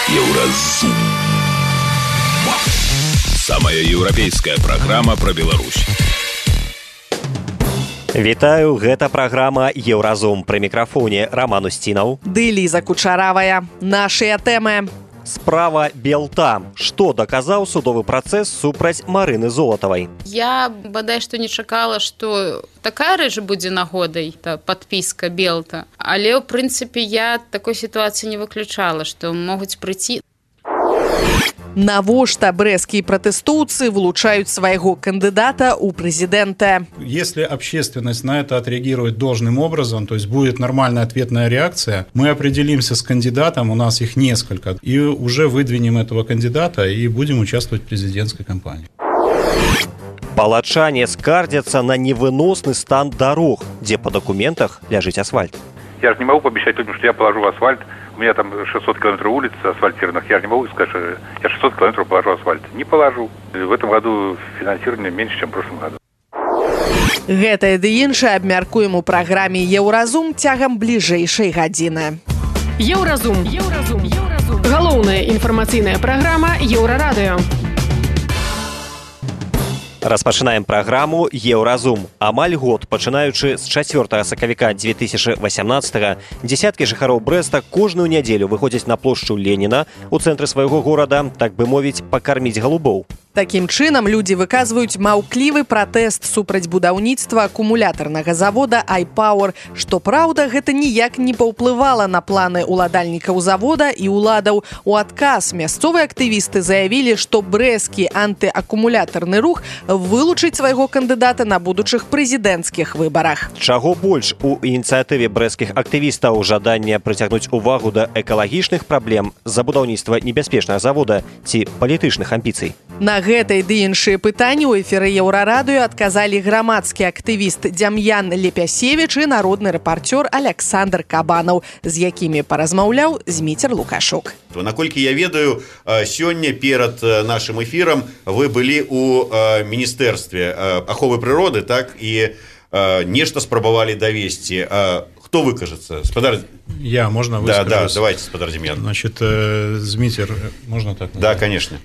Еўразум. Самая еўрапейская праграма пра Беларусь. Вітаю, гэта праграма «Еўразум». Пры мікрафоне Роман Устінаў. Ды Ліза Кучаравая. Нашыя тэмы. Справа Белта. Што даказаў судовы працэс супраць Марыны Золатавай? Я бадай што не чакала, што такая рэч будзе нагодай, падпіска Белта. Але, ў прынцыпе, я такой сітуацыі не выключала, што могуць прыйти. Навошта брэсцкія пратэстоўцы вылучаюць свайго кандидата у президента? Если общественность на это отреагирует должным образом, то есть будет нормальная ответная реакция, мы определимся с кандидатом, у нас их несколько, и уже выдвинем этого кандидата и будем участвовать в президентской кампании. Палачане скардзяцца на невыносны стан дарог, дзе по документах ляжыць асфальт. Я же не могу пообещать людям, что я положу асфальт. У меня там 600 километров улиц асфальтированных. Я же не могу сказать, что я 600 километров положу асфальт. Не положу. В этом году финансирование меньше, чем в прошлом году. Гэтае ды іншае абмяркуем у праграме «Еўразум» цягам бліжэйшай гадзіны. Еўразум. Галоўная інфармацыйная праграма Еўрарадыё. Распачынаем праграму «Еўразум». Амаль год, пачынаючы з 4 сакавіка 2018-го, дзесяткі жыхароў Брэста кожную нядзелю выходзяць на плошчу Леніна ў цэнтры свайго горада, так бы мовіць, пакарміць галубоў. Такім чынам людзі выказваюць маўклівы пратэст супраць будаўніцтва акумулятарнага завода iPower. Што праўда, гэта ніяк не паўплывала на планы ўладальнікаў завода і ўладаў. У адказ мясцовыя актывісты заявілі, што брэсцкі антыакумулятарны рух вылучыць свайго кандыдата на будучых прэзідэнцкіх выбарах. Чаго больш у ініцыятыве брэсцкіх актывістаў жаданне прыцягнуць увагу да экалагічных праблем з-за будаўніцтва небяспечнага завода ці палітычных амбіцый? На гэтай ды іншыя пытанні ў эфіры Еўрарадыё адказалі грамадскі актывіст Дзям'ян Лепясевіч і народны рэпарцёр Александр Кабанаў, з якімі паразмаўляў Зміцер Лукашук. Наколькі я ведаю, сёння перад нашым эфірам вы былі ў міністэрстве аховы прыроды, так, і нешта спрабавалі давесці. Кто выкажется? Спадар... Я, можно выскажусь? Да, давайте, спадар Демьян. Значит, Змитер, можно так? Да, конечно.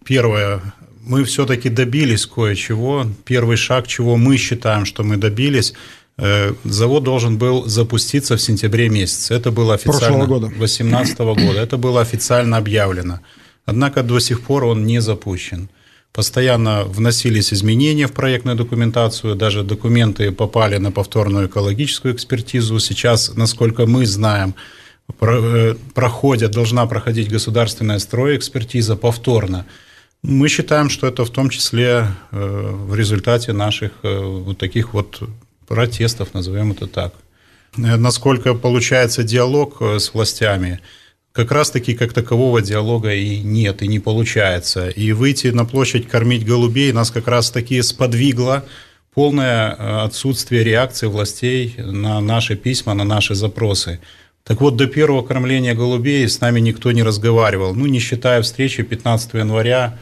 Первое, мы все-таки добились кое-чего. Первый шаг, чего мы считаем, что мы добились, завод должен был запуститься в сентябре месяце. Это было официально... 2018 года. Это было официально объявлено. Однако до сих пор он не запущен. Постоянно вносились изменения в проектную документацию, даже документы попали на повторную экологическую экспертизу. Сейчас, насколько мы знаем, должна проходить государственная стройэкспертиза повторно. Мы считаем, что это в том числе в результате наших вот таких вот протестов, назовем это так. Насколько получается диалог с властями, как раз-таки как такового диалога и нет, и не получается. И выйти на площадь кормить голубей нас как раз-таки сподвигло полное отсутствие реакции властей на наши письма, на наши запросы. Так вот, до первого кормления голубей с нами никто не разговаривал, не считая встречи 15 января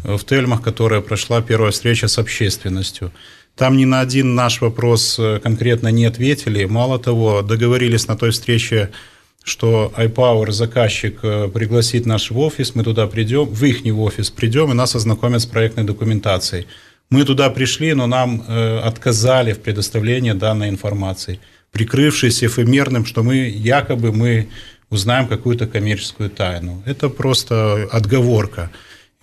в Тельмах, которая прошла первая встреча с общественностью. Там ни на один наш вопрос конкретно не ответили. Мало того, договорились на той встрече, что iPower, заказчик, пригласит наш в офис, мы туда придем, в их офис придем, и нас ознакомят с проектной документацией. Мы туда пришли, но нам отказали в предоставлении данной информации, прикрывшись эфемерным, что якобы мы узнаем какую-то коммерческую тайну. Это просто отговорка.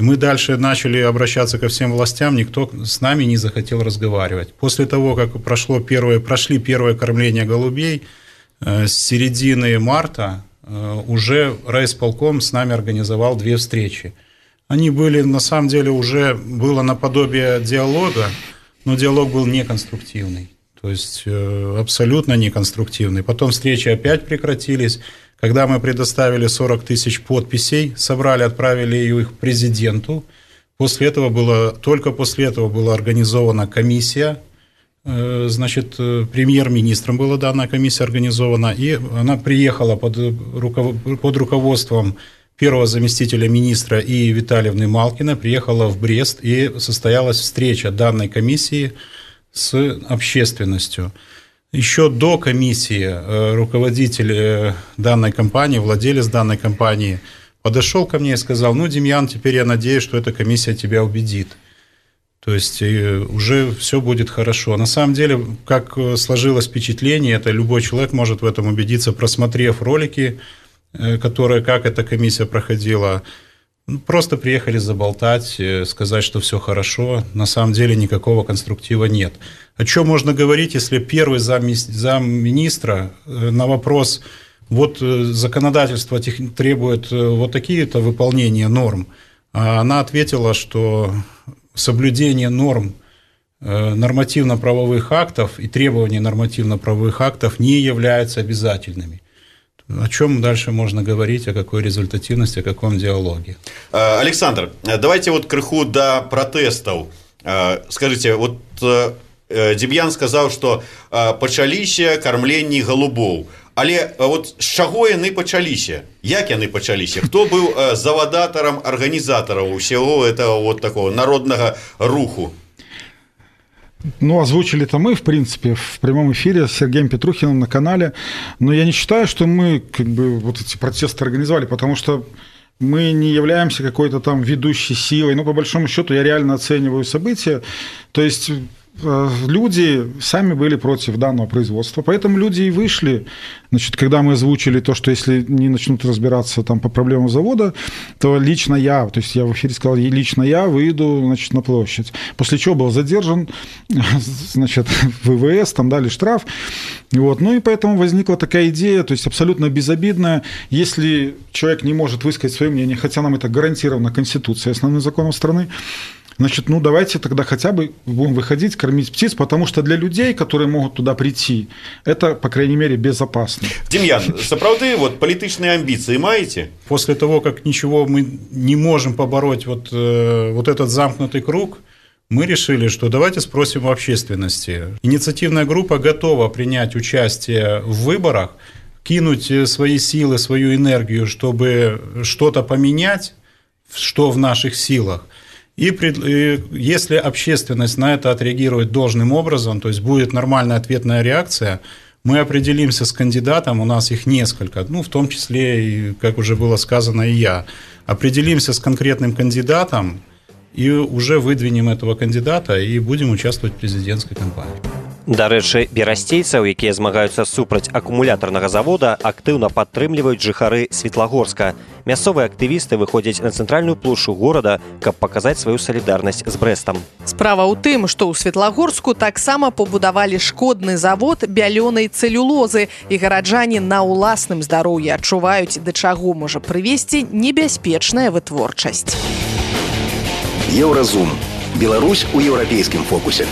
И мы дальше начали обращаться ко всем властям, никто с нами не захотел разговаривать. После того, как прошли первое кормление голубей, с середины марта уже райисполком с нами организовал 2 встречи. Они были, на самом деле, уже было наподобие диалога, но диалог был неконструктивный, то есть абсолютно неконструктивный. Потом встречи опять прекратились. Когда мы предоставили 40 тысяч подписей, собрали, отправили их президенту. Только после этого была организована комиссия. Значит, премьер-министром была данная комиссия организована, и она приехала под руководством первого заместителя министра И. Витальевны Малкина, приехала в Брест, и состоялась встреча данной комиссии с общественностью. Еще до комиссии руководитель данной компании, владелец данной компании подошел ко мне и сказал: ну, Демьян, теперь я надеюсь, что эта комиссия тебя убедит. То есть уже все будет хорошо. На самом деле, как сложилось впечатление, это любой человек может в этом убедиться, просмотрев ролики, которые, как эта комиссия проходила. Просто приехали заболтать, сказать, что все хорошо. На самом деле никакого конструктива нет. О чем можно говорить, если первый замминистра на вопрос, вот законодательство требует вот такие-то выполнения норм, а она ответила, что соблюдение норм нормативно-правовых актов и требований нормативно-правовых актов не являются обязательными. О чем дальше можно говорить, о какой результативности, о каком диалоге? Александр, давайте вот крыху до протестов. Скажите, вот Демьян сказал, что пачаліся кармленні голубоў. Але вот з чаго яны пачаліся? Як яны пачаліся? Хто быў завадатарам, арганізатарам усяго этого вот такого народного руху? Ну, озвучили-то мы, в принципе, в прямом эфире с Сергеем Петрухиным на канале. Но я не считаю, что мы как бы вот эти протесты организовали, потому что мы не являемся какой-то там ведущей силой. Ну, по большому счету, я реально оцениваю события. То есть люди сами были против данного производства, поэтому люди и вышли. Значит, когда мы озвучили то, что если не начнут разбираться там по проблемам завода, то лично я, то есть я в эфире сказал, лично я выйду, значит, на площадь. После чего был задержан, значит, ВВС, там дали штраф. Вот. Ну и поэтому возникла такая идея, то есть абсолютно безобидная. Если человек не может высказать свое мнение, хотя нам это гарантировано Конституцией, основным законом страны, значит, ну давайте тогда хотя бы будем выходить, кормить птиц, потому что для людей, которые могут туда прийти, это, по крайней мере, безопасно. Демьян, сапраўды, вот политичные амбиции маете? После того, как ничего мы не можем побороть, вот этот замкнутый круг, мы решили, что давайте спросим у общественности. Инициативная группа готова принять участие в выборах, кинуть свои силы, свою энергию, чтобы что-то поменять, что в наших силах. И если общественность на это отреагирует должным образом, то есть будет нормальная ответная реакция, мы определимся с кандидатом, у нас их несколько, ну, в том числе, как уже было сказано, и я. Определимся с конкретным кандидатом и уже выдвинем этого кандидата и будем участвовать в президентской кампании. Дарэчы, берасцейцаў, якія змагаюцца супраць акумулятарнага завода, актыўна падтрымліваюць жыхары Светлагорска. Мясцовыя актывісты выходзяць на цэнтральную плошчу горада, каб паказаць сваю салідарнасць з Брэстам. Справа ў тым, што ў Светлагорску таксама пабудавалі шкодны завод бялёнай цэлюлозы, і гараджане на ўласным здароўі адчуваюць, да чаго можа прывесці небяспечная вытворчасць. Еўразум. Беларусь у еўрапейскім фокусе.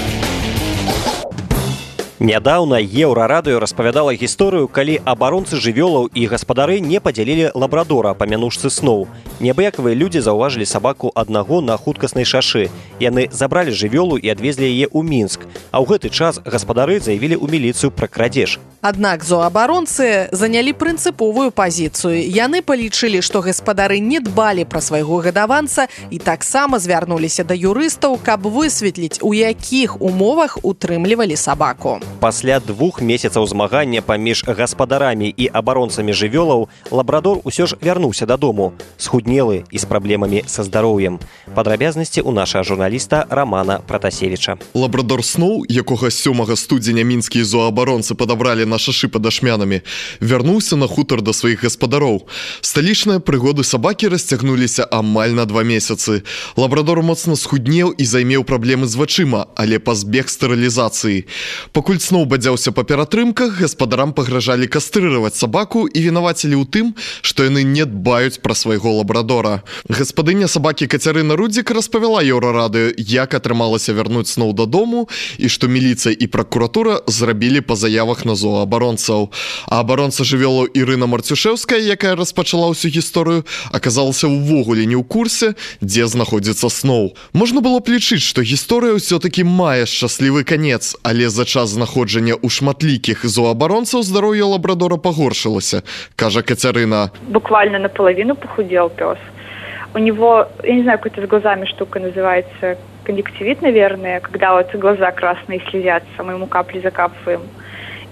Нядаўна Еўрарадыё распавядала гісторыю, калі абаронцы жывёлаў і гаспадары не падзялілі лабрадора па мянушцы сноў. Неабыякавыя людзі заўважылі сабаку аднаго на хуткаснай шашы. Яны забралі жывёлу і адвезлі яе ў Мінск. А ў гэты час гаспадары заявілі ў міліцыю пра крадзеж. Аднак зоабаронцы занялі прынцыповую пазіцыю. Яны палічылі, што гаспадары не дбалі пра свайго гадаванца і таксама звярнуліся да юрыстаў, каб высветліць, у якіх умовах утрымлівалі сабаку. Пасля 2 месяцаў змагання паміж гаспадарамі і абаронцамі жывёлаў лабрадор усё ж вярнуўся дадому, схуднелы і з праблемамі са здароўем. Падрабязнасці ў нашага журналіста Романа Пратасевіча. Лабрадор Сноу, якога 7 студзеня мінскія зоабаронцы падабралі на шашы пад Ашмянамі, вярнуўся на хутар да сваіх гаспадароў. Сталічныя прыгоды сабакі расцягнуліся амаль на 2 месяцы. Лабрадор моцна схуднеў і займеў праблемы з вачыма, але пазбег стэрылізацыі. Пакуль Сноу бадзяўся па ператрымках, гаспадарам пагражалі кастрыраваць сабаку і вінавацілі ў тым, што яны не дбаюць пра свайго лабрадора. Гаспадыня сабакі Кацярына Рудзік распавяла Еўрарадыё, як атрымалася вярнуць Сноу дадому і што міліцыя і пракуратура зрабілі па заявах на зоабаронцаў. А абаронца жывёлаў Ірына Марцюшэўская, якая распачала ўсю гісторыю, аказалася ўвогуле не ў курсе, дзе знаходзіцца Сноу. Можна было б лічыць, што гісторыя ўсё-такі мае шчаслівы канец, але за час знаходжання ў шматлікіх зоабаронцаў здароўе лабрадора пагоршылася, кажа Кацярына. Буквально наполовину похудел пес. У него, я не знаю, какой-то с глазами штука называется, конъюнктивит, наверное, когда вот глаза красные слезятся, мы ему капли закапываем.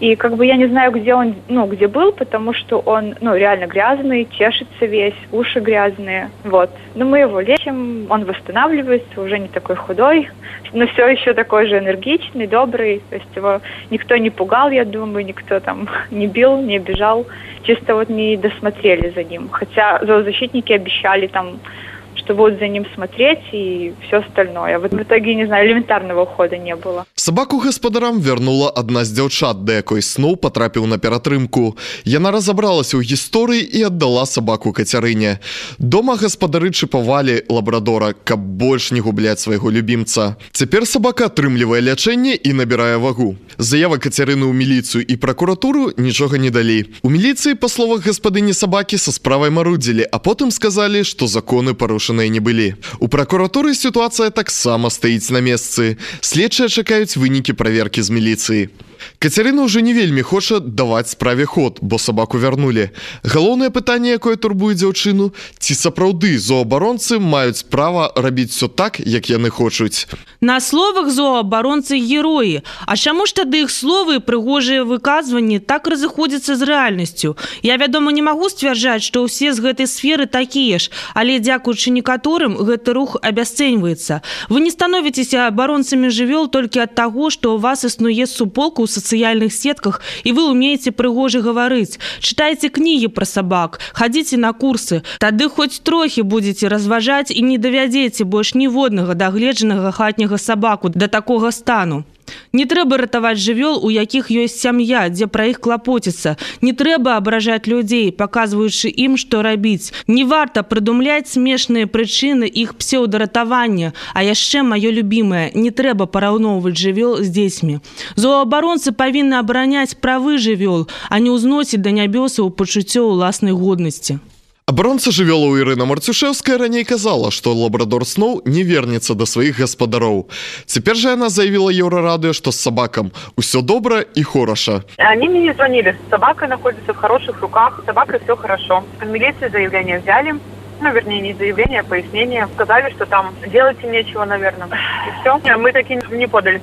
И как бы я не знаю, где он, где был, потому что он, реально грязный, чешется весь, уши грязные, вот. Но мы его лечим, он восстанавливается, уже не такой худой, но все еще такой же энергичный, добрый, то есть его никто не пугал, я думаю, никто там не бил, не обижал, чисто вот не досмотрели за ним. Хотя зоозащитники обещали там, что будут за ним смотреть и все остальное. Вот в итоге, не знаю, элементарного ухода не было. Сабаку гаспадарам вярнула адна з дзяўчат, да якой Сноу патрапіў на ператрымку. Яна разабралася ў гісторыі і аддала сабаку Кацярыне. Дома гаспадары чыпавалі лабрадора, каб больш не губляць свайго любімца. Цяпер сабака атрымлівае лячэнне і набірае вагу. Заява Кацярыны ў міліцыю і пракуратуру нічога не далі. У міліцыі, па словах гаспадыні сабакі, са справай марудзілі, а потым сказалі, што законы парушаныя не былі. У пракуратуры сітуацыя таксама стаіць на месцы. Следчыя чакаюць вынікі праверкі з міліцыі. Кацярына ўжо не вельмі хоча даваць справе ход, бо сабаку вярнулі. Галоўнае пытанне, якое турбуе дзяўчыну, ці сапраўды зоабаронцы маюць права рабіць все так, як яны хочуць. На словах зоабаронцы героі. А чаму ж тады іх словы і прыгожыя выказванні так разыходзяцца з рэальнасцю? Я, вядома, не магу сцвярджаць, што ўсе з гэтай сферы такія ж, але дзякуючы некаторым гэты рух абясцэньваецца. Вы не становіцеся абаронцамі жывёл толькі ад таго, што ў вас існуе суполка ў сацыяльных сетках, і вы умееце прыгожа гаварыць. Чытайце кнігі пра сабак, хадзіце на курсы. Тады хоць трохі будзеце разважаць і не давядзеце больш ніводнага дагледжанага хатняга сабаку да такога стану. Не трэба ратаваць жывёл, у якіх ёсць сям'я, дзе пра іх клапоціцца. Не трэба абражаць людзей, паказваючы ім, што рабіць. Не варта прыдумляць смешныя прычыны іх псеўдаратавання. А яшчэ маё любімае, не трэба параўноўваць жывёл з дзецьмі. Зоабаронцы павінны абараняць правы жывёл, а не ўзносіць да нябёсаў пачуццё ўласнай годнасці. Абаронца жывёлаў Ірына Марцюшэўская раней казала, што лабрадор Сноу не вернецца да сваіх гаспадароў. Цяпер жа яна заявіла Еўрарадыё, што з сабакам усё добра і хораша. Они мне не звонили. Собака находится в хороших руках, с собакой все хорошо. В милиции заявление взяли. Вернее, не заявление, а пояснение. Сказали, что там делать им нечего, наверное. И все. Мы таки не подали.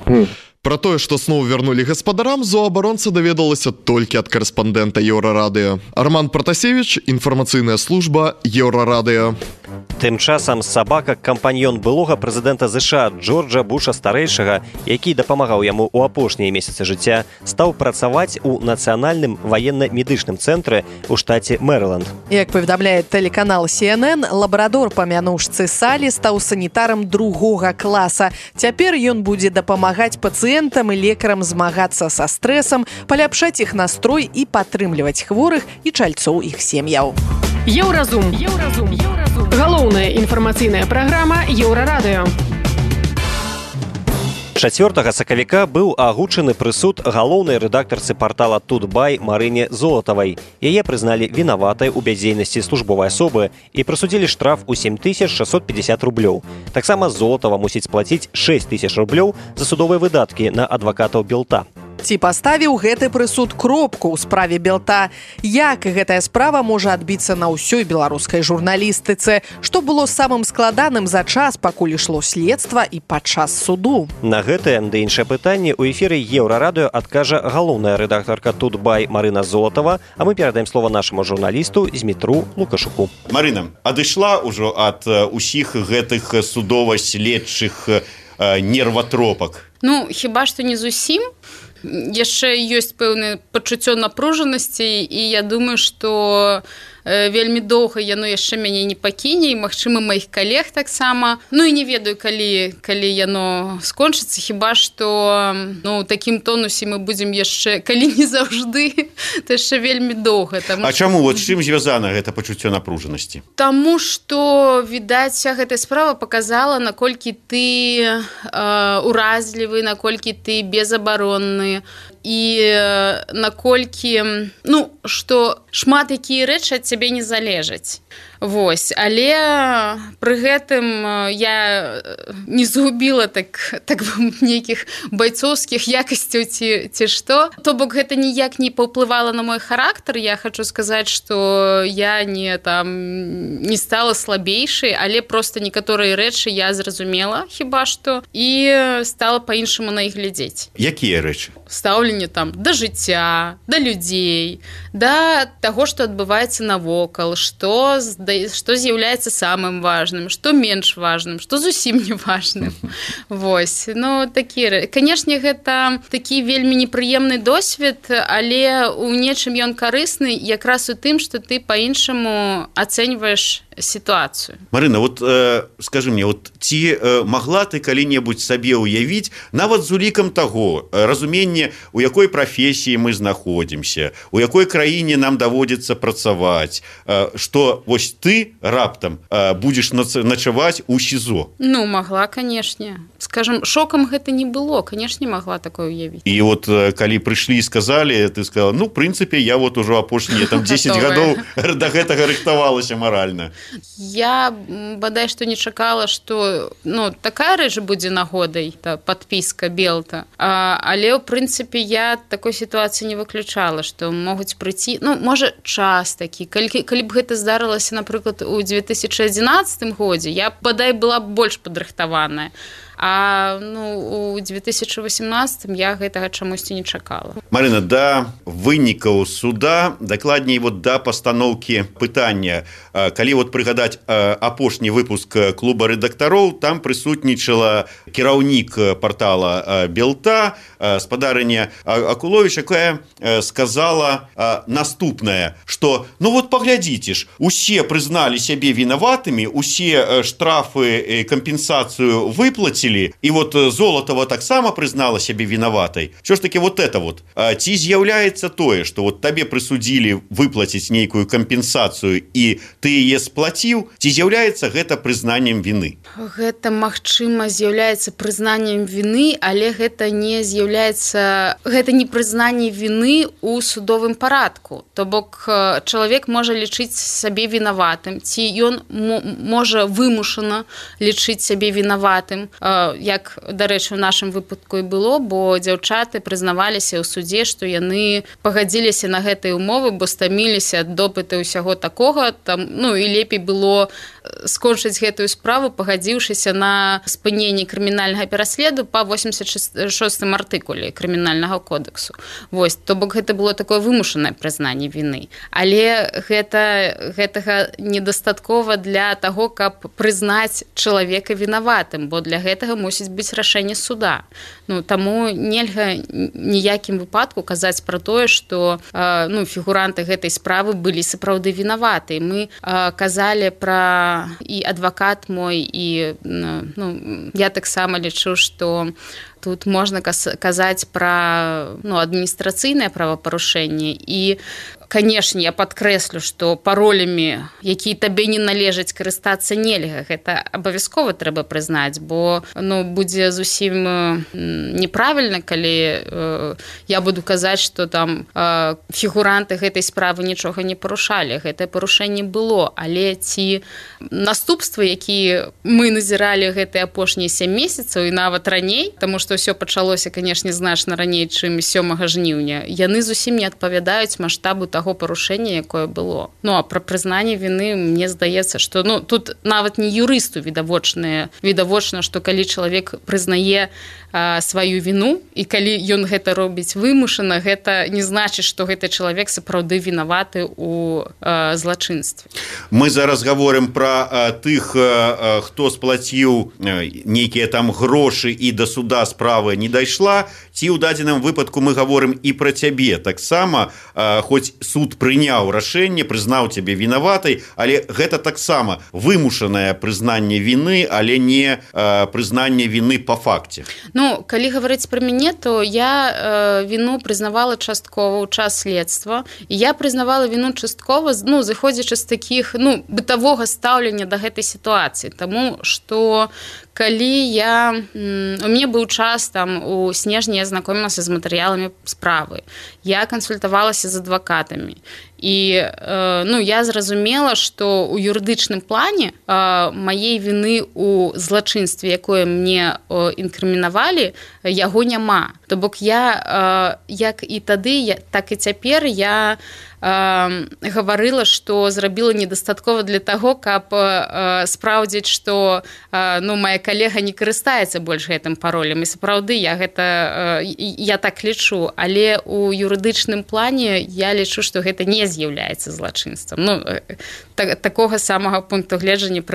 Пра тое, што Сноу вярнулі гаспадарам, зоабаронца даведалася толькі ад карэспандэнта Еўрарадыё. Арман Пратасевіч, інфармацыйная служба Еўрарадыё. Тым часам сабака кампаньён былога прэзідэнта ЗША Джорджа Буша-старэйшага, які дапамагаў яму ў апошнія месяцы жыцця, стаў працаваць у нацыянальным ваенна-медычным цэнтры ў штаце Мэрыланд. Як паведамляе тэлеканал CNN, лабрадор па мянушцы Салі стаў санітарам 2-го класа. Цяпер ён будзе дапамагаць пацыентам і лекарам змагацца са стрэсам, паляпшаць іх настрой і падтрымліваць хворых і чальцоў іх сем'яў. Еўразум. Галоўная інфармацыйная праграма Еўрарадыё. 4 сакавіка быў агучаны прысуд галоўнай рэдактарцы партала Тутбай Марыне Золатавай. Яе прызналі вінаватай у бяздзейнасці службовай асобы і прысудзілі штраф у 7650 рублёў. Таксама Золатава мусіць сплаціць 6000 рублёў за судовыя выдаткі на адвакатаў Белта. Ці паставіў гэты прысуд кропку ў справе Белта? Як гэтая справа можа адбіцца на ўсёй беларускай журналістыцы? Што было самым складаным за час, пакуль ішло следства і падчас суду? На гэтае ды іншыя пытанні ў эфіры Еўрарадыё адкажа галоўная рэдактарка Тутбай Марына Золатава, а мы перадаем слова нашаму журналісту Змітру Лукашуку. Марына, адышла ўжо ад усіх гэтых судова-следчых нерватропак? Хіба што не зусім. Яшчэ ёсць пэўнае пачуццё напружанасці, і я думаю, што вельмі доўга яно яшчэ мяне не пакіне, і, магчыма, маіх калег таксама. І не ведаю, калі яно скончыцца, хіба што ў такім тонусе мы будзем яшчэ, калі не заўжды, то яшчэ вельмі доўга. А чаму? З чым звязана гэта пачуццё напружанасці? Таму што, відаць, вся гэтая справа паказала, наколькі ты уразлівы, наколькі ты безабаронны, і наколькі, што шмат якія рэчы ад цябе не залежаць. Вось, але пры гэтым я не згубіла так нейкіх байцоўскіх якасцяў ці што. То бок гэта ніяк не паўплывала на мой характар. Я хочу сказаць, што я не стала слабейшай, але просто некаторыя рэчы я зразумела хіба што і стала па-іншаму на іх глядзець. Якія рэчы? Стаўленне да жыцця, да людзей, да таго, што адбываецца навокал, што з'яўляецца самым важным, што менш важным, што зусім не важным. Вось, такія. Канешне, гэта такі вельмі непрыемны досвед, але ў нечым ён карысны якраз у тым, што ты па-іншаму ацэньваеш сітуацыю. Марына, скажы мне, ці магла ты калі-небудзь сабе ўявіць, нават з улікам таго, разуменне, у якой прафесіі мы знаходзімся, у якой краіне нам даводзіцца працаваць, што вось ты раптам будзеш начаваць у СІЗО? Магла, канешне. Скажам, шокам гэта не было, канешне, магла такое ўявіць. І калі прыйшлі і сказалі, ты сказала, в прынцыпе, я ужо апошнія 10 гадоў да гэтага рыхтавалася маральна. Я бадай што не чакала, што такая рэч будзе нагодай, падпіска Белта, але ў прынцыпе я такой сітуацыі не выключала, што могуць прыйти, можа час такі, калі б гэта здарылася, напрыклад, у 2011 годзе, я бадай была больш падрыхтаваная. А у 2018 я гэтага чамусьці не чакала. Марына, да вынікаў суда, дакладней да пастаноўкі пытання, калі прыгадаць апошні выпуск клуба рэдактароў, там прысутнічала кіраўнік партала Белта, спадарыня Акуловіч, якая сказала наступнае, што паглядзіце ж, усе прызналі сябе вінаватымі, усе штрафы, кампенсацыю выплацілі, і Золатова таксама прызнала сябе вінаватай. Що ж таки ці з'яўляецца тое, што табе прысудзілі выплаціць нейкую кампенсацыю і ты яе сплаціў, ці з'яўляецца гэта прызнаннем віны? Гэта, магчыма, з'яўляецца прызнаннем віны, але гэта не прызнанне віны ў судовым парадку. То бок чалавек можа лічыць сабе вінаватым, ці ён можа вымушана лічыць сабе вінаватым, як, дарэчы, у нашым выпадку і было, бо дзяўчаты прызнаваліся ў судзе, што яны пагадзіліся на гэтыя ўмовы, бо стаміліся ад допыта ўсяго такога, і лепей было скончыць гэтую справу, пагадзіўшыся на спыненне крымінальнага пераследу па 86-м артыкуле крымінальнага кодексу. Вось, то бок гэта было такое вымушанае прызнанне віны. Але гэтага недастаткова для таго, каб прызнаць чалавека вінаватым, бо для гэтага мусіць быць рашэнне суда. Таму нельга ніякім выпадку казаць пра тое, што фігуранты гэтай справы былі сапраўды вінаваты. Мы казалі пра і адвакат мой, і я таксама лічу, што тут можна казаць пра адміністрацыйнае правапарушэнне. І, канешне, я падкрэслю, што паролямі, якія табе не належаць, карыстацца нельга. Гэта абавязкова трэба прызнаць, бо будзе зусім неправільна, калі я буду казаць, што там фігуранты гэтай справы нічога не парушалі. Гэтае парушэнне было, але ці наступствы, якія мы назіралі гэтыя апошнія 7 месяцаў і нават раней, таму што ўсё пачалося, канешне, значна раней, чым 7 жніўня, яны зусім не адпавядаюць маштабу таго парушэння, якое было. А пра прызнанне віны, мне здаецца, што тут нават не юрысту відавочна, што калі чалавек прызнае сваю віну, і калі ён гэта робіць вымушана, гэта не значыць, што гэты чалавек сапраўды вінаваты ў злачынстве. Мы зараз гаворым пра тых, хто сплаціў нейкія там грошы і да суда справа не дайшла, ці ў дадзеным выпадку мы гаворым і пра цябе. Таксама, хоць суд прыняў рашэнне, прызнаў цябе вінаватай, але гэта таксама вымушанае прызнанне віны, але не прызнанне віны па факце. Калі гаварыць пра мяне, то я віну прызнавала часткова ў час следства, і я прызнавала віну часткова, зыходзячы з такіх, бытавога стаўлення да гэтай сітуацыі, таму што калі у мяне быў час, у снежні я знакомілася з матэрыяламі справы, я кансультавалася з адвакатамі, і ну я зразумела, што ў юрыдычным плане маей віны ў злачынстве, якое мне інкрымінавалі, яго няма. То бок я як і тады, так і цяпер я гаварыла, што зрабіла недастаткова для таго, каб спраўдзіць, што ну, моя калега не карыстаецца больш гэтым паролем. І сапраўды я так лічу, але у юрыдычным плане я лічу, што гэта не з'яўляецца злачынствам. Ну, такога самага пункту гледжання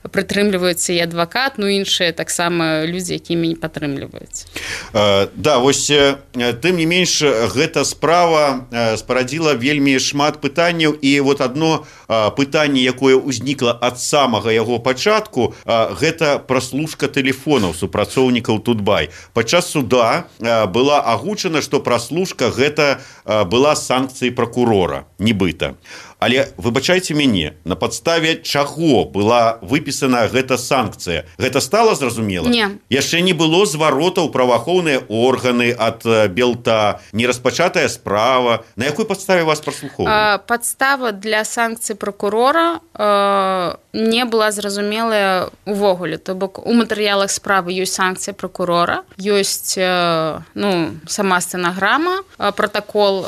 прытрымліваюцца і адвакат, ну іншыя таксама людзі, якімі не падтрымліваюць. Да, вось тым не менш гэта справа спарадзіла вельмі шмат пытанняў, і вот одно пытанне, якое ўзнікла ад самага яго пачатку, гэта праслушка тэлефонаў супрацоўнікаў Тутбай. Падчас суда была агучана, што праслушка гэта была санкцыяй пракурора, нібыта. Але выбачайце мяне, на падставе чаго была выпісана гэта санкцыя? Гэта стала зразумела? Не. Яшчэ не было зваротаў праваахоўныя органы ад Белта, не распачатая справа. На якой падставе вас праслухоўвалі? Падстава для санкцый пракурора не была зразумелая увогуле. То бок у матэрыялах справы ёсць санкцыя пракурора, ёсць ну, сама стэнаграма, пратакол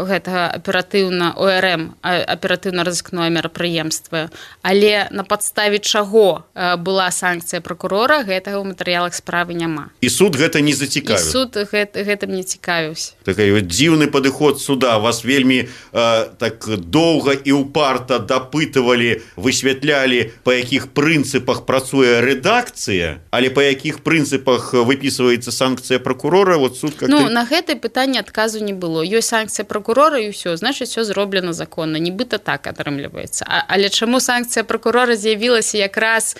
гэтага аператыўна ОРМ, аператыўна-розыскное мерапрыемства, але на падставе чаго была санкцыя пракурора, гэтага ў матэрыялах справы няма. І суд гэта не зацікавіў? І суд гэтым не цікавіўся. Такой дзіўны падыход суда. Вас вельмі так доўга і ўпарта дапытывалі, высвятлялі, па якіх прынцыпах працуе рэдакцыя, але па якіх прынцыпах выпісваецца санкцыя пракурора, вот суд как-то... Ну, на гэтае пытанне адказу не было. Ёсць санкцыя пракурора і ўсё, значыць, все зроблена законна. Нібыта так атрымліваецца. Але чаму санкцыя пракурора з'явілася якраз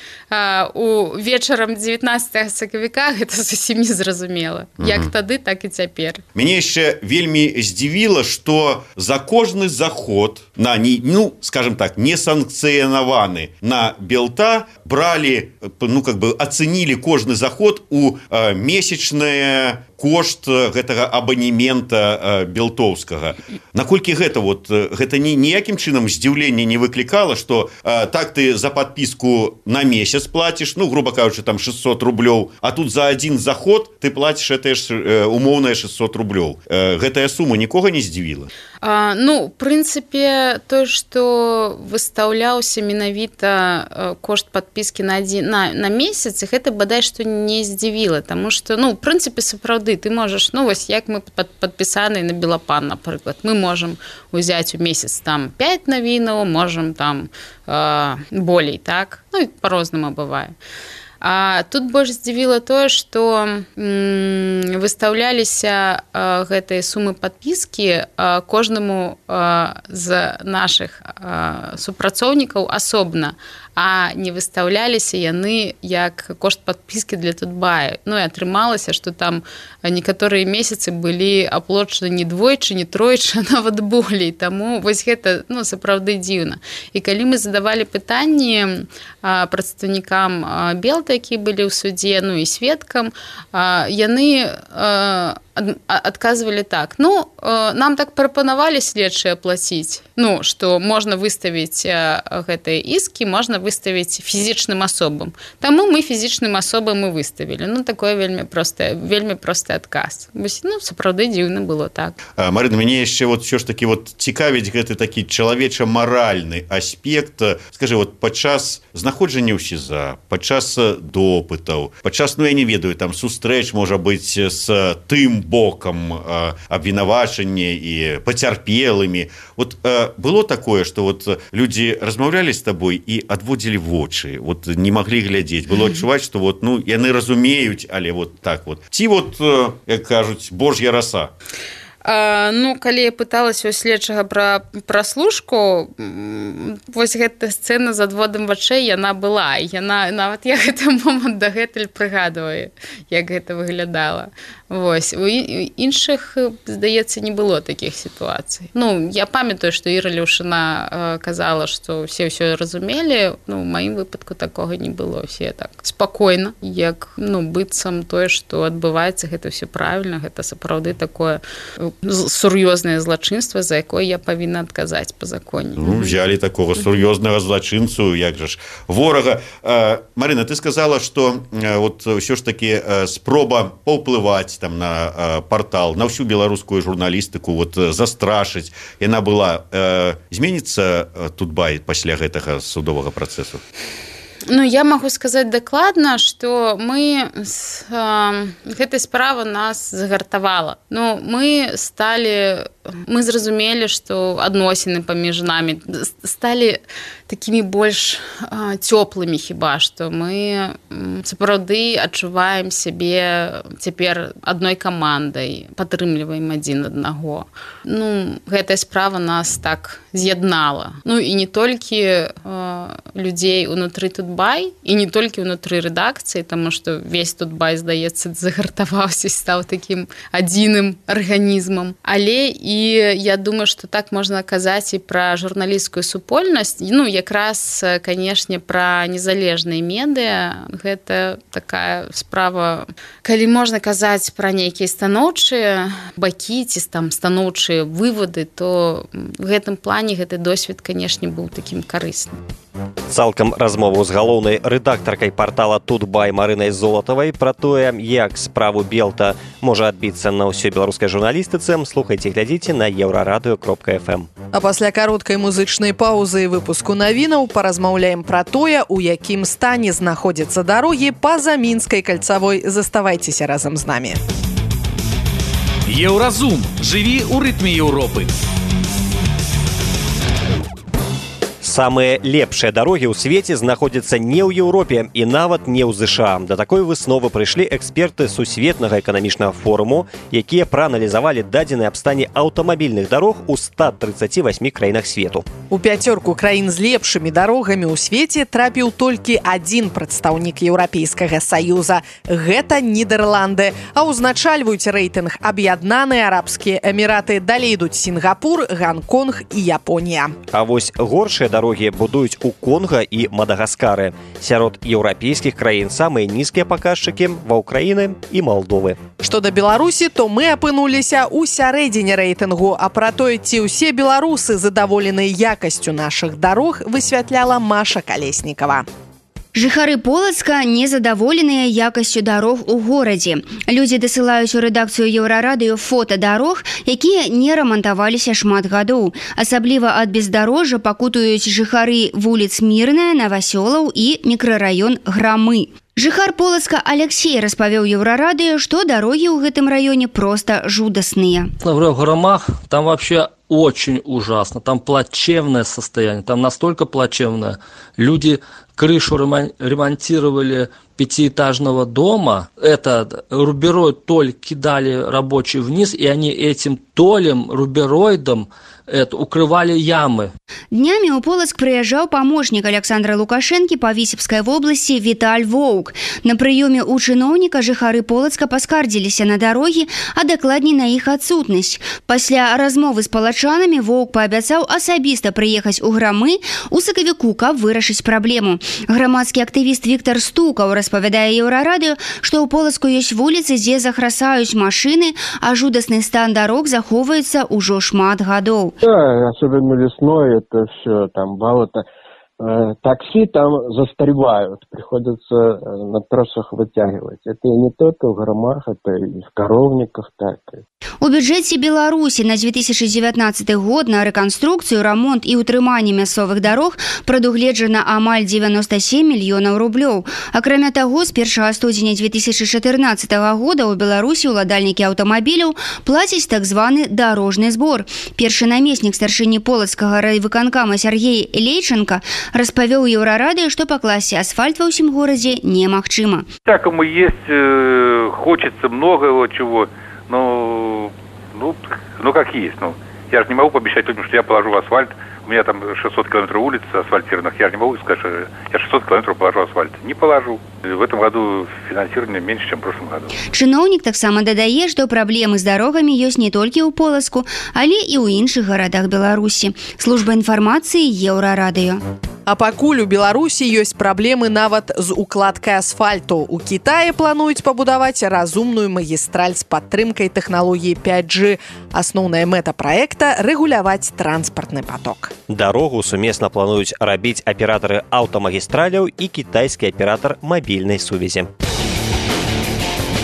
у вечарам 19 сакавіка, гэта зусім не зразумела. Як тады, так і цяпер. Мяне яшчэ вельмі здзівіла, што за кожны заход на, ну, скажем так, несанкцыянаваны на Белта бралі, ну, как бы ацэнілі кожны заход у месячнае кошт гэтага абанемента белтоўскага. Наколькі гэта вот гэта ніякім чынам здзіўлення не выклікала, што так ты за падпіску на месяц плаціш, ну грубо кажучы, там 600 рублёў, а тут за один заход ты плаціш гэтае ж умоўнае 600 рублёў. Гэтая сума нікога не здзівіла? Ну, в прынцыпе, тое, што выстаўляўся менавіта кошт падпіскі на месяц, гэта бадай што не здзівіла, таму што, ну, в прынцыпе, сапраўды, ты можаш, ну, вось як мы падпісаны на Белапан, напрыклад, мы можам узяць у месяц там 5 навінаў, можам там болей, так? Ну, па-рознаму бывае. А тут больш здзівіла тое, што выстаўляліся гэтыя сумы падпіскі кожнаму з нашых супрацоўнікаў асобна, а не выстаўляліся яны як кошт падпіскі для Тутбая. Ну і атрымалася, што там некаторыя месяцы былі аплачаны не двойчы, не тройчы, нават болей. Таму вось гэта, ну, сапраўды дзіўна. І калі мы задавалі пытанні прадстаўнікам Белта, якія былі ў судзе, ну і сведкам, яны адказвалі так. Ну, нам так прапанавалі следчыя плаціць, ну, што можна выставіць гэтыя іскі, можна выставіць фізічным асобам. Таму мы фізічным асобам і выставілі. Ну, такое вельмі просты адказ. Ну, сапраўды дзіўна было так. Марына, мяне яшчэ вот ўсё ж такі вот цікавіць гэты такі чалавеча-маральны аспект. Скажы, вот падчас знаходжання ў СІЗА, падчас допытаў, падчас, ну, я не ведаю, там сустрэч, можа быць, з тым бокам абвінавачання і пацярпелымі. Вот было такое, што вот людзі размаўлялі з табой і адводзілі вочы, вот не маглі глядзець. Было адчуваць, што вот, ну, яны разумеюць, але вот так вот. Ці вот, як кажуць, божья раса. Ну, калі я пыталася у следчага пра праслушку, вось гэта сцэна з адводам вачэй, яна была. Яна, нават я гэты момант дагэтуль прыгадваю, як гэта выглядала. Вось. У іншых, здаецца, не было такіх сітуацый. Ну, я памятаю, што Іра Люшына казала, што ўсё разумелі. Ну, у маім выпадку такога не было. Усе так спакойна, як, ну, быццам тое, што адбываецца, гэта ўсё правільна, гэта сапраўды такое сур'ёзнае злачынства, за якое я павінна адказаць па законе. Ну, взяли такого сур'ёзнага злачынцу, як жа ж, ворага. Марына, ты сказала, што вот ўсё ж таки спроба паўплываць там на портал, на всю беларускую журналістыку, вот застрашыць, яна была. Зменіцца Тутбай пасля гэтага судовага працэсу? Ну, я могу сказаць дакладна, што мы гэтай справа нас загартавала. Ну, мы зразумелі, што адносіны паміж намі сталі такімі больш цёплымі хіба што. Мы сапраўды адчуваем сябе цяпер адной камандай, падтрымліваем адзін аднаго. Ну, гэтая справа нас так з'яднала. Ну, і не толькі людзей унутры Тутбай, і не толькі ўнутры рэдакцыі, таму што весь Тутбай, здаецца, загартаваўся, стаў такім адзіным арганізмам. Але і я думаю, што так можна казаць і пра журналісцкую супольнасць. Ну, якраз, канешне, пра незалежныя медыа. Гэта такая справа, калі можна казаць пра нейкія станоўчыя бакі ці там станоўчыя вывады, то в гэтым плане гэты досвед, канешне, быў такім карысным. Цалкам размову з галоўнай рэдактаркай портала Тутбай Марынай Золатавай пра тое, як справу Белта можа адбіцца на ўсёй беларускай журналістыцы, слухайце, глядзіце на еўрарадыё.фм. А пасля кароткай музычнай паўзы і выпуску навінаў паразмаўляем пра тое, у якім стане знаходзяцца дарогі па-за мінскай кальцавой. Заставайцеся разам з намі. Еўразум. Жыві ў рытме Еўропы. Самыя лепшыя дарогі ў свеце знаходзяцца не ў Еўропе і нават не ў ЗША. Да такой высновы прыйшлі эксперты Сусветнага эканамічнага форуму, якія прааналізавалі дадзеныя аб стане аўтамабільных дарог у 138 краінах свету. У пяцёрку краін з лепшымі дарогамі ў свеце трапіў толькі адзін прадстаўнік Еўрапейскага Саюза. Гэта Нідерланды. А ўзначальваюць рэйтынг Аб'яднаныя Арабскія Эміраты. Далей ідуць Сінгапур, Ганконг і Японія. А вось горшыя дарогі будуюць у Конга і Мадагаскары. Сярод еўрапейскіх краін самыя нізкія паказчыкі ва Ўкраіны і Малдовы. Што да Беларусі, то мы апынуліся ў сярэдзіне рэйтынгу, а пра тое, ці ўсе беларусы задаволеныя якасцю нашых дарог, высвятляла Маша Калеснікава. Жыхары Полацка незадаволеныя якасцю дарог у горадзе. Людзі дасылаюць у рэдакцыю Еўрарадыё фота дарог, якія не рамантаваліся шмат гадоў. Асабліва ад бездарожжа пакутуюць жыхары вуліц Мірная, Навасёлаў і мікрараён Грамы. Жыхар Полацка Алексей распавёў Еўрарадыё, што дарогі ў гэтым раёне проста жудасныя. В Громах там вообще очень ужасно, там плачевное состояние, там настолько плачевное. Люди крышу ремонтировали пятиэтажного дома, это рубероид толь кидали рабочие вниз, и они этим толем, рубероидом укрывали ямы. Днямі ў Полацк прыязджаў памочнік Александра Лукашэнкі па Віцебскай вобласці Віталь Воўк. На прыёме ў чыноўніка жыхары Полацка паскардзіліся на дарогі, а дакладней на іх адсутнасць. Пасля размовы з палачанамі Воўк паабяцаў асабіста прыехаць у Грамы ў сакавіку, каб вырашыць праблему. Грамадскі актывіст Віктор Стукаў распавядае Еўрарадыё, што ў Полацку ёсць вуліцы, дзе захрасаюць машыны, а жудасны стан дарог захоўваецца ўжо шмат гадоў. Да, особенно весной это все, там болото. Такси там застревают, приходится на тросах вытягивать. Это и не только в Громах, это и в Коровниках так. У бюджэце Беларусі на 2019 год на рэканструкцыю, рамонт і ўтрыманне мясцовых дарог прадугледжана амаль 97 мільёнаў рублёў. Акрамя таго, з 1 студзеня 2014 года ў Беларусі ўладальнікі аўтамабіляў плацяць так званы дарожны збор. Першы намеснік старшыні Полацкага райвыканкама Сергей Лейченко распавёў Еўрарадыё, што пакласці асфальт ва ўсім горадзе немагчыма. Всякому есть, хочется много чего, но как есть. Я же не могу пообещать людям, что я положу в асфальт. У меня там 600 километров улиц асфальтированных. Я же не могу сказать, что я 600 километров положу асфальт. Не положу. В этом году финансирование меньше, чем в прошлом году. Чыноўнік таксама дадае, што праблемы з дарогамі ёсць не толькі ў Полацку, але і ў іншых гарадах Беларусі. Служба інфармацыі Еўрарадыё. А пакуль у Беларусі ёсць праблемы нават з укладкай асфальту. У Кітаі плануюць пабудаваць разумную магістраль з падтрымкай тэхналогіі 5G. Асноўная мэта праекта – рэгуляваць транспартны поток. Дарогу сумесна плануюць рабіць аператары аўтамагістраляў і кітайскі аператар мабільнай сувязі.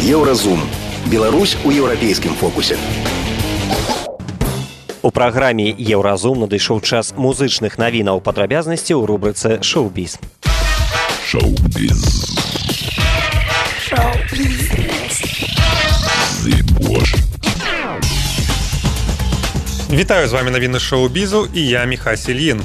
Еўразум. Беларусь у еўрапейскім фокусе. У праграме «Еўразум» надышоў час музычных навінаў, падрабязнасці ў рубрыцы «Шоу-біз». Шоу-біз. Вітаю, з вами навіны шоу-бізу і я Міхась Ільін.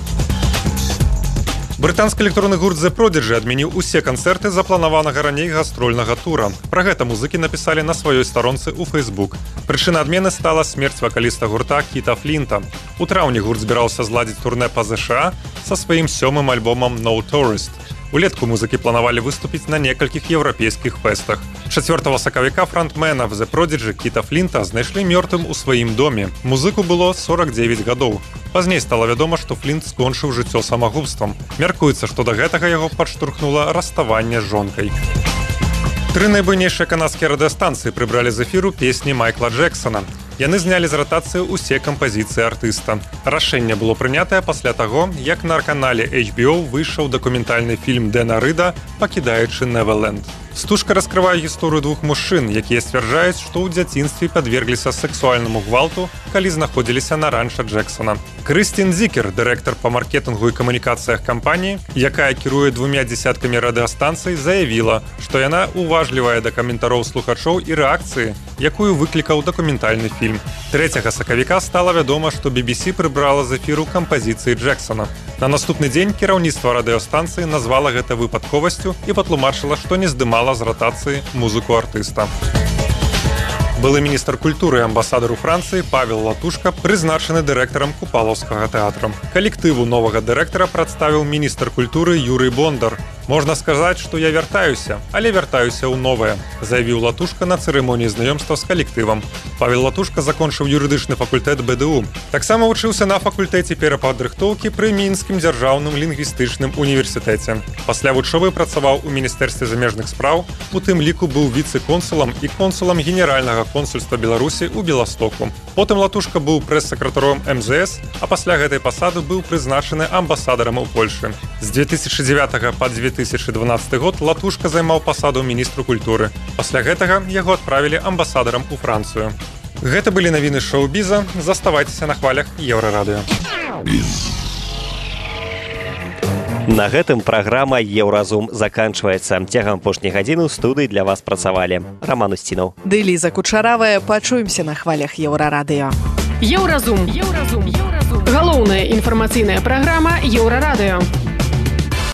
Брытанскі электронны гурт The Prodigy адмяніў усе канцэрты запланаванага раней гастрольнага тура. Пра гэта музыкі напісалі на сваёй старонцы ў Facebook. Прычына адмены стала смерць вакаліста гурта Кіта Флінта. У траўні гурт збіраўся зладзіць турнэ па ЗША са сваім 7-м альбомам No Tourist. Улетку музыкі планавалі выступіць на некалькіх еўрапейскіх фэстах. 4 сакавіка фронтмена The Prodigy Кіта Флінта знайшлі мёртвым у сваім доме. Музыку было 49 гадоў. Пазней стала вядома, што Флінт скончыў жыццё самагубствам. Мяркуецца, што да гэтага яго падштурхнула раставанне з жонкай. 3 найбуйнейшыя канадскія радыёстанцыі прыбралі з эфіру песні Майкла Джексона. Яны знялі з ратацыі ўсе кампазіцыі артыста. Рашэнне было прынятае пасля таго, як на канале HBO выйшаў дакументальны фільм Дэна Рыда «Пакідаючы Неверленд». Стужка раскрывае гісторыю двух мужчын, якія сцвярджаюць, што ў дзяцінстве падвергліся сексуальнаму гвалту, калі знаходзіліся на ранча Джексона. Крыстін Зікер, дырэктар па маркетынгу і камунікацыях кампаніі, якая кіруе 2 дзесяткамі радыёстанцый, заявіла, што яна уважлівая да каментароў слухачоў і рэакцыі, якую выклікаў дакументальны фільм. 3 сакавіка стала вядома, што BBC прыбрала з эфіру кампазіцыі Джексона. На наступны дзень кіраўніцтва радыёстанцыі назвала гэта выпадковасцю і патлумачыла, што не здымала з ратацыі музыку артыста. Былы міністр культуры і амбасадар у Францыі Павел Латушка прызначаны дырэктарам Купалаўскага тэатра. Калектыву новага дырэктара прадставіў міністр культуры Юрый Бондар. «Можна сказаць, што я вяртаюся, але вяртаюся ў новае», заявіў Латушка на цырымоніі знаёмства з калектывам. Павел Латушка закончыў юрыдычны факультэт БДУ. Таксама вучыўся на факультэце перападрыхтоўкі пры Мінскім дзяржаўным лінгвістычным універсітэце. Пасля вучобы працаваў у Міністэрстве замежных спраў, у тым ліку быў віцэ-консулам і консулам Генеральнага консульства Беларусі ў Беластоку. Потым Латушка быў прэс-сакратаром МЗС, а пасля гэтай пасады быў прызначаны амбасадарам у Польшы. З 2009 па 2012 год Латушка займаў пасаду міністру культуры. Пасля гэтага яго адправілі амбасадарам у Францыю. Гэта былі навіны шоу-біза. Заставайцеся на хвалях Еўрарадыё. На гэтым праграма «Еўразум» заканчваецца. Цягам апошняй гадзіны ў студыі для вас працавалі Роман Устінаў. Ды Ліза Кучаравая. Пачуемся на хвалях Еўрарадыё. Еўразум. Галоўная інфармацыйная праграма Еўрарадыё.